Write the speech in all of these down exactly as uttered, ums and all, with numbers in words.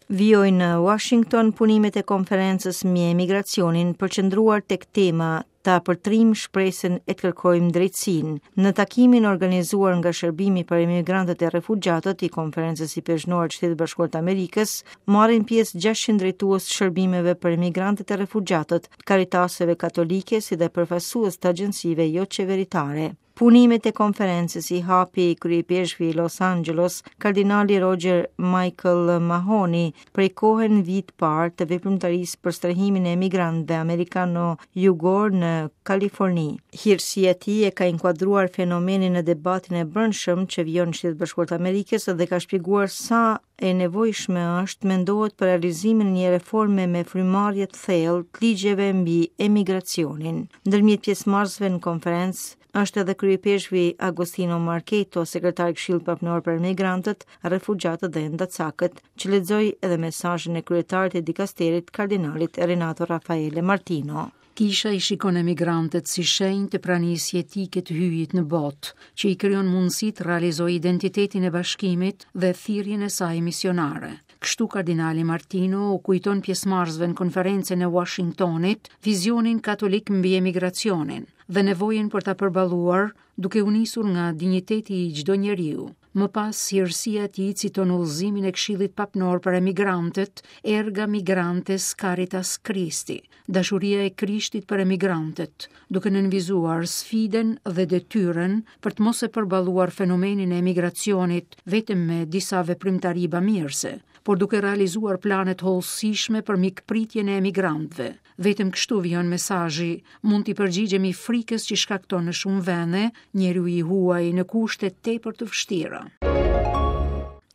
Vijojnë në Washington punimet e konferencës mbi emigracionin, përqendruar tek tema "Ta përtrim shpresën e të kërkojmë drejtësinë". Në takimin organizuar nga Shërbimi për Emigrantët e Refugjatët i Konferencës Ipeshkvnore të Shtetit Bashkuar të Amerikës, marrin pjesë gjashtëqind drejtues të shërbimeve për emigrantët e refugjatët, karitaseve katolike, si dhe përfaqësues të agjencive jo qeveritare. Punimet e konferencës i hapi kryeipeshkvi i Los Angeles, kardinali Roger Michael Mahony, prej kohe në vit parë të veprimtarisë për strehimin e emigrantëve amerikano-jugor në Kaliforni. Hirësia e tij e ka inkuadruar fenomenin në debatin e brendshëm që vijon në Shtetet Bashkuara të Amerikës dhe ka shpjeguar sa e nevojshme është mendohet për realizimin e një reforme me frymëmarrje të thellë të ligjeve mbi emigracionin. Ndërmjet pjesëmarrësve në konferencë është edhe kryeipeshkvi Agostino Marchetto, sekretar i Këshillit Papnor për Emigrantët, Refugjatët dhe Endacakët, që lexoi edhe mesazhin e kryetarit të dikasterit, kardinalit Renato Raffaele Martino. Kisha i shikon emigrantët si shenjë të pranisë jetike të Hyjit në botë, që i krijon mundësi të realizojë identitetin e bashkimit dhe thirrjen e saj misionare. Kështu kardinali Martino u kujton pjesëmarrësve në konferencën e Washingtonit vizionin katolik mbi emigracionin dhe nevojën për ta përballuar duke u nisur nga dinjiteti i çdo njeriu. Më pas, hirësia e tij citon udhëzimin e Këshillit Papnor për Emigrantët, "Erga Migrantes Caritas Christi", dashuria e Krishtit për emigrantët, duke nënvizuar sfidën dhe detyrën për të mos e përballuar fenomenin e emigracionit vetëm me disa veprimtari bamirëse, por duke realizuar plane të hollësishme për mikpritjen e emigrantëve. Vetëm kështu, vijon mesazhi, mund t'i përgjigjemi frikës që shkakton në shumë vende njeriu i huaj në kushte tepër të vështira.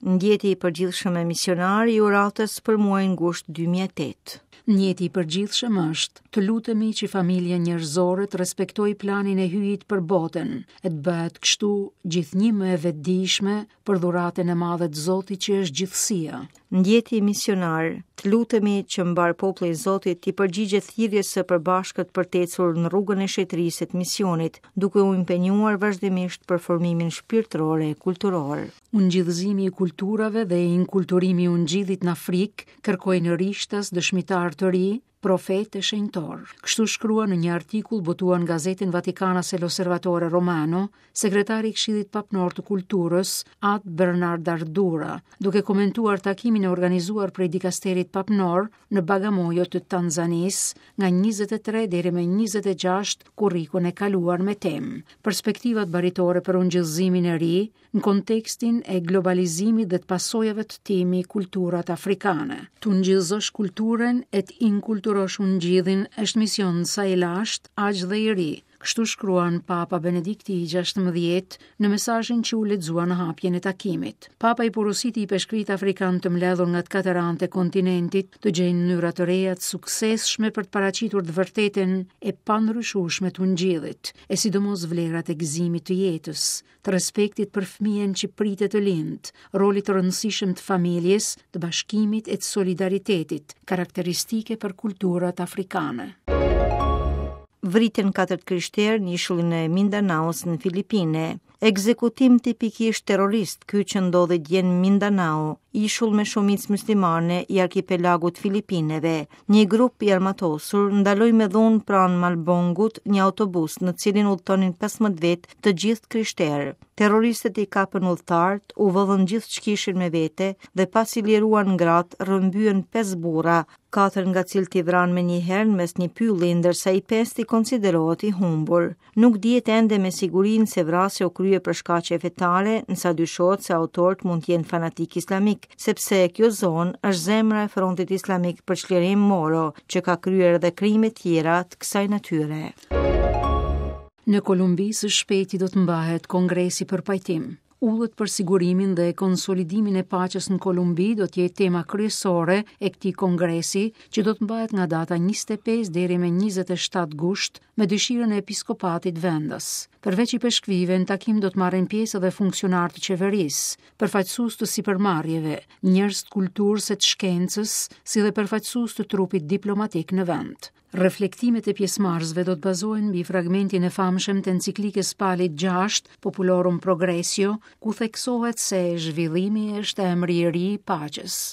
Ndjeti i përgjithshëm e misionar i uratës për muajin gusht dy mijë e tetë. Ndjeti i përgjithshëm është të lutemi që familja njerëzore të respektojë planin e Hyjit për botën e të bëhet kështu gjithnjë më e vetëdijshme për dhuratën e madhe të Zotit, që është gjithësia. Ndjeti misionar, të lutemi që mbarë populli i Zotit t'i përgjigjet thirrjes së përbashkët për të ecur në rrugën e shenjtërisë e të misionit, duke u impenjuar vazhdimisht për formimin shpirtëror e kulturor. Ungjillëzimi i kulturave dhe inkulturimi i ungjillit në Afrikë kërkojnë rishtas dëshmitar të ri, profet e shenjtor. Kështu shkruan në një artikull botuar në gazetën Vatikanase L'Osservatore Romano, sekretari i Këshillit Papnor të Kulturës, At Bernard Ardura, duke komentuar takimin e organizuar prej dikasterit papnor në Bagamoyo të Tanzanisë nga njëzet e tre deri më njëzet e gjashtë korrikun e kaluar, me temë "Perspektivat baritore për ungjillëzimin e ri në kontekstin e globalizimit dhe të pasojave të tij mbi kulturat afrikane". Të ungjillëzosh kulturën e të inkulturosh ungjillin është mision sa i lashtë, aq dhe i ri. Kështu shkruan Papa Benedikti i gjashtëmbëdhjetë në mesazhin që u lexua në hapjen e takimit. Papa i porositi ipeshkvit afrikan të mbledhur nga të katër anët e kontinentit të gjejnë mënyra të reja të suksesshme për të paraqitur të vërtetën e pandryshueshme të ungjillit, e sidomos vlerat e gëzimit të jetës, të respektit për fëmijën që pritet të lind, rolit të rëndësishëm të familjes, të bashkimit e të solidaritetit, karakteristike për kulturat afrikane. Vriten katër të krishterë në ishullin e Mindanaos në Filipine. Ekzekutim tipikisht terrorist ky që ndodhi dje në Mindanao, ishull me shumicë muslimane i arkipelagut Filipineve. Një grup i armatosur ndaloi me dhunë pranë Malbongut një autobus në cilin udhëtonin pesëmbëdhjetë vetë, të gjithë krishterë. Terroristët i kapën udhëtarët, u vodhën gjithë ç'kishin me vete dhe, pasi liruan gratë, rrëmbyen pesë burra, katër nga cilët i vranë me njëherë mes një pylli, ndërsa i pesti konsiderohet i humbur. Nuk dihet ende me sigurinë se vrasja u krye për shkaqe fetare, nësa dyshohet se autorët mund të jenë fanatik islamik, sepse kjo zonë është zemra e Frontit Islamik për Çlirim Moro, që ka kryer edhe krime tjera të kësaj natyre. Në Kolumbi së shpejti do të mbahet Kongresi për Pajtim. Udhët për sigurimin dhe konsolidimin e paqes në Kolumbi do të jetë tema kryesore e këtij kongresi, që do të mbahet nga data njëzet e pesë deri me njëzet e shtatë gusht, me dëshirën e episkopatit vendas. Përveç ipeshkvive, në takim do të marrin pjesë edhe funksionarë të qeverisë, përfaqësues të sipërmarrjeve, njerëz të kulturës e të shkencës, si dhe përfaqësues të trupit diplomatik në vend. Reflektimet e pjesëmarrësve do të bazohen mbi fragmentin e famshëm të enciklikës Palit gjashtë, Populorum Progressio, ku theksohet se zhvillimi është emri i ri i paqes.